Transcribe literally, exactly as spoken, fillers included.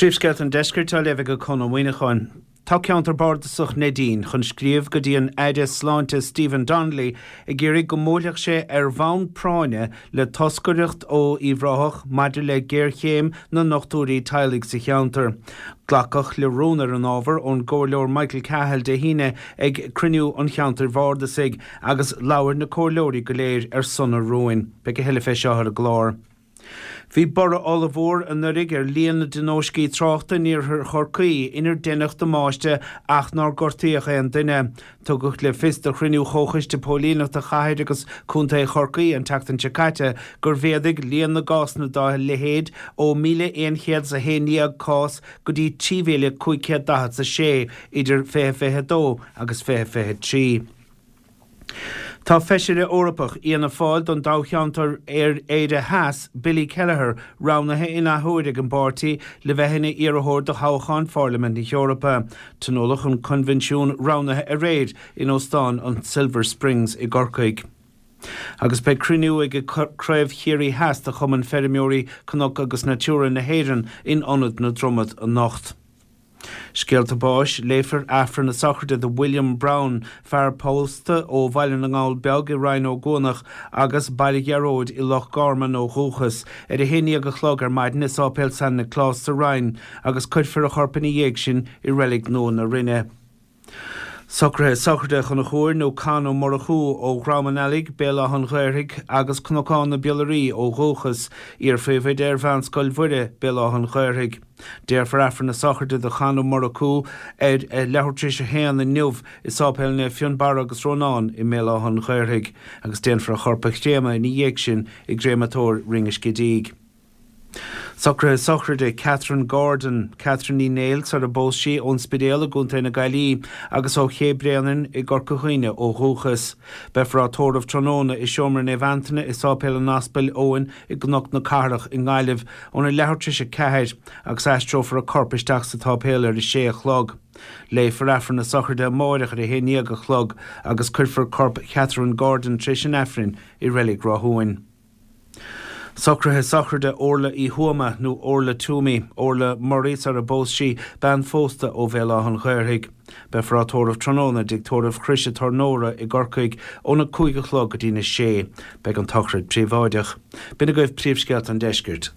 Príomhscéalta an Deiscirt á léamh ag Conn Ó Muíneacháin. Tá ceantar bardasach Neidín chun scríobh go dtí an Aire Sláinte Stephen Donnelly ag iarraidh go mbuailfeadh sé ar bhonn práinne le toscaireacht ó Uíbh Ráthach maidir le géarchéim na ndochtúirí teaghlaigh sa cheantar. Glacadh le rún ar an ábhar ón gComhairleoir Michael Cahill Dé hAoine ag cruinniú an cheantair bhardasaigh agus labhair na comhairleoirí go léir ar son an rúin. Beidh a thuilleadh fé seo ar an gclár. Bhí borradh ollmhór anuraidh ar líon na dtionóiscí tráchta in iarthar Chorcaí inar deineadh damáiste ach nár gortaíodh aon duine. Tugadh le fios do chruinniú Chomhchoiste Póilíneachta Chathair agus Contae Chorcaí an tseachtain seo caite gur mhéadaigh líon na gcásanna dá leithéid ó míle aon chéad is a haon déag cás go dtí trí mhíle cúig chéad daichead is a sé idir fiche fiche dó agus fiche fiche trí. Tá Feisire Eorpach Fhianna Fáil don toghcheantar Éire Theas, Billy Kelleher, roghnaithe in athuair ag an bpáirtí le bheith ina iarrthóir do thoghchán Pharlaimint na hEorpa. Tionóladh an coinbhinsiún roghnaithe aréir in Óstán an Silver Springs i gCorcaigh. Agus beidh cruinniú ag Craobh Chiarraí Theas de Chumann Feirmeoirí Cnoc agus Natura na hÉireann in Ionad na Dromad anocht. Scéalta báis, Léifear Aifreann na sochraide do William Brown, fear pósta ó Bhaile na nGall Beag i Rinn Ó gCuanach agus Baile Ghearóid i Loch Garman ó dhúchas, ar a haon déag a chlog ar maidin i Sáipéal San Nioclás sa Rinn agus cuirfear a chorp ina dhiaidh sin i Reilig Nua na Rinne. Socruithe sochraide Chonchúir nó Con Ó Murchú ó Dhrom an Eallaigh, Béal Átha an Ghaorthaidh agus Cnocán na Biolaraí ó dhúchas, iar-phríomhoide ar Mheánscoil Mhuire, Béal Átha an Ghaorthaidh. Déarfar Aifreann na sochraide do Chon Ó Murchú ar leathuair tar éis a haon inniu i Sáipéal Naomh Fionnbarra agus Rónán i mBéal Átha an Ghaorthaidh agus déanfar a chorp a chréamadh ina dhiaidh sin i gcréamatóir Rinn an Scidígh. Socruithe sochraide Catherine Gordon, Catherine Ní Néill sar a bpós sí ón Spidéal i gContae na Gaillimhe agus ó Ché Bréanainn i gCorca Dhuibhne ó dhúchas. Beifear á tórramh tráthnóna i Seomra Naomh Antaine i Sáipéal an Aspail Eoin i gCnoc na Cathrach i nGaillimh óna leathuair tar éis a ceathair agus aistreofar a corp isteach sa tsáipéal ar a sé a chlog. Léifear Aifreann na sochraide amárach ar a haon déag a chlog agus cuirfear corp Catherine Gordon tar éis an Aifrinn i Reilig Ráth Socruithe sochraide Orla Uí Thuama nó Orla Toomey, Orla Murray sar a bpós sí bean phósta ó Bhéal Átha an Ghaorthaidh. Beifear á tórramh tráthnóna i dtigh tórraimh Chrois an Tornóra i gCorcaigh óna cúig a chlog go dtí na sé. Beidh an tsochraid príobháideach. B'in agaibh príomhscéalta an deiscirt.